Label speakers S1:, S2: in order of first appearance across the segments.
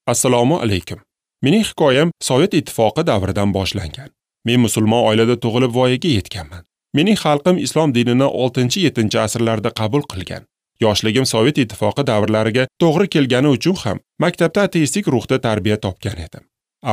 S1: Assalomu alaykum. Mening hikoyam Sovet Ittifoqi davridan boshlangan. Men musulmon oilada tug'ilib voyaga yetganman. Mening xalqim islom dinini 6-7 asrlarda qabul qilgan. Yoshligim Sovet Ittifoqi davrlariga to'g'ri kelgani uchun ham maktabda ateistik ruhda tarbiya topgan edim.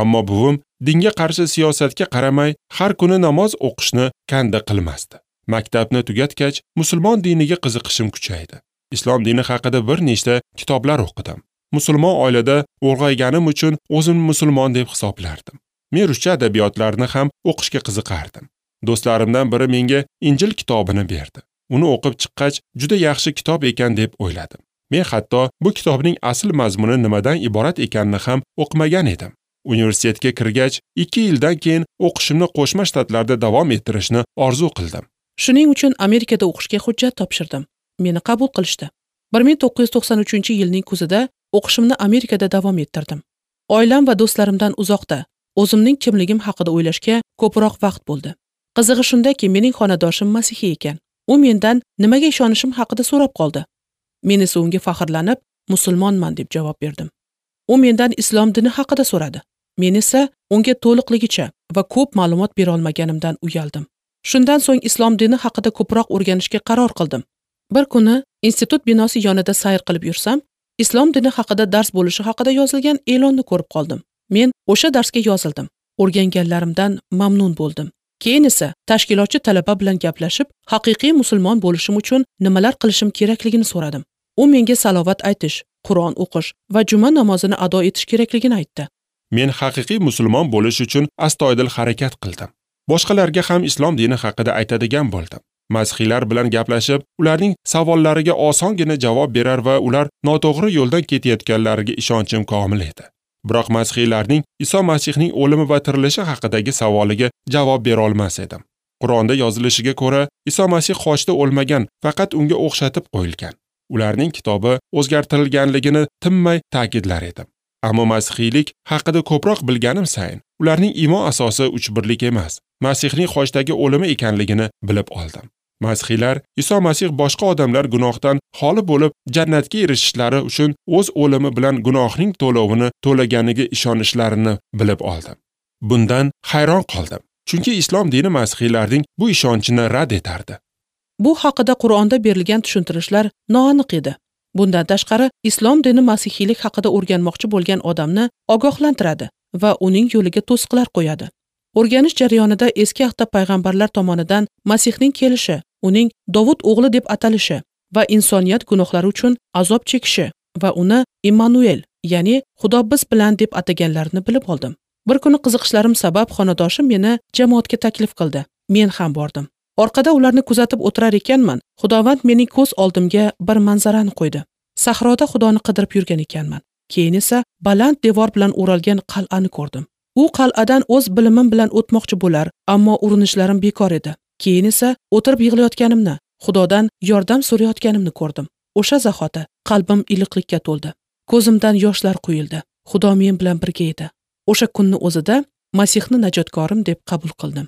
S1: Ammo buvim dinga qarshi siyosatga qaramay har kuni namoz o'qishni kanda qilmasdi. Maktabni tugatgach, musulmon diniga qiziqishim kuchaydi. Islom dini haqida bir nechta kitoblar o'qidim. Musulmon oilada ulg'ayganim uchun o'zimni musulmon deb hisoblardim. Men ruscha adabiyotlarni ham o'qishga qiziqardim. Do'stlarimdan biri menga Injil kitobini berdi. Uni o'qib chiqqach, juda yaxshi kitob ekan deb o'yladim. Men hatto bu kitobning asl mazmuni nimadan iborat ekanini ham o'qimagan edim. Universitetga kirgach, 2 yildan keyin o'qishimni Qo'shma Shtatlarda davom ettirishni orzu qildim.
S2: Shuning uchun Amerikada o'qishga hujjat topshirdim. Meni qabul qilishdi. 1993-yilning kuzida o'qishimni Amerikada davom ettirdim. Oilam va do'stlarimdan uzoqda, o'zimning kimligim haqida o'ylashga ko'proq vaqt bo'ldi. Qizig'i shundaki, mening xonadoshim masihiy ekan. U mendan nimaga ishonishim haqida so'rab qoldi. Men esa unga faxrlanib, musulmonman deb javob berdim. U mendan islom dini haqida so'radi. Men esa unga to'liqligicha va ko'p ma'lumot bera olmaganimdan uyaldim. Shundan so'ng islom dini haqida ko'proq o'rganishga qaror qildim. Bir kuni institut binosi yonida sayr qilib yursam, islom dini haqida dars bo'lishi haqida yozilgan e'lonni ko'rib qoldim. Men o'sha darsga yozildim. O'rganganlarimdan mamnun bo'ldim. Keyin esa tashkilotchi talaba bilan gaplashib, haqiqiy musulmon bo'lishim uchun nimalar qilishim kerakligini so'radim. U menga salovat aytish, Qur'on o'qish va juma namozini ado etish kerakligini aytdi.
S1: Men haqiqiy musulmon bo'lish uchun astoydil harakat qildim. Boshqalarga ham islom dini haqida aytadigan bo'ldim. Masihiylar bilan gaplashib, ularning savollariga osongina javob berar va ular noto'g'ri yo'ldan ketayotganlariga ishonchim komil edi. Biroq masihiylarning Iso Masihning o'limi va tirilishi haqidagi savoliga javob bera olmas edim. Qur'onda yozilishiga ko'ra, Iso Masih xochda o'lmagan, faqat unga o'xshatib qo'yilgan. Ularning kitobi o'zgartirilganligini tinmay ta'kidlar edim. Ammo masihiylik haqida ko'proq bilganim sayin, ularning iymon asosi uchbirlik emas, Masihning xochdagi o'limi ekanligini bilib oldim. Masihiylar Iso Masih boshqa odamlar gunohdan xoli bo'lib jannatga erishishlari uchun o'z o'limi bilan gunohning to'lovini to'laganiga ishonishlarini bilib oldim. Bundan hayron qoldim, chunki islom dini masihiylarning bu ishonchini rad etardi.
S2: Bu haqida Qur'onda berilgan tushuntirishlar noaniq edi. Bundan tashqari, islom dini masihiylik haqida o'rganmoqchi bo'lgan odamni ogohlantiradi va uning yo'liga to'siqlar qo'yadi. O'rganish jarayonida eski ahdda payg'ambarlar tomonidan Masihning kelishi, uning Dovud o'g'li deb atalishi va insoniyat gunohlari uchun azob chekishi va uni Immanuel, ya'ni Xudo biz bilan deb ataganlarini bilib oldim. Bir kuni qiziqishlarim sabab xonadoshim meni jamoatga taklif qildi. Men ham bordim. Orqada ularni kuzatib o'tirar ekanman, Xudovand mening ko'z oldimga bir manzarani qo'ydi. Sahroda Xudoni qidirib yurgan ekanman. Keyin esa baland devor bilan o'ralgan qal'ani ko'rdim. U qal'adan o'z bilimim bilan o'tmoqchi bo'lar, ammo urinishlarim bekor edi. Keyin esa o'tirib yig'layotganimni, Xudodan yordam so'rayotganimni ko'rdim. O'sha zahoti qalbim iliqlikka to'ldi. Ko'zimdan yoshlar quyildi. Xudo men bilan birga edi. O'sha kunni o'zida Masihni najotkorim deb qabul qildim.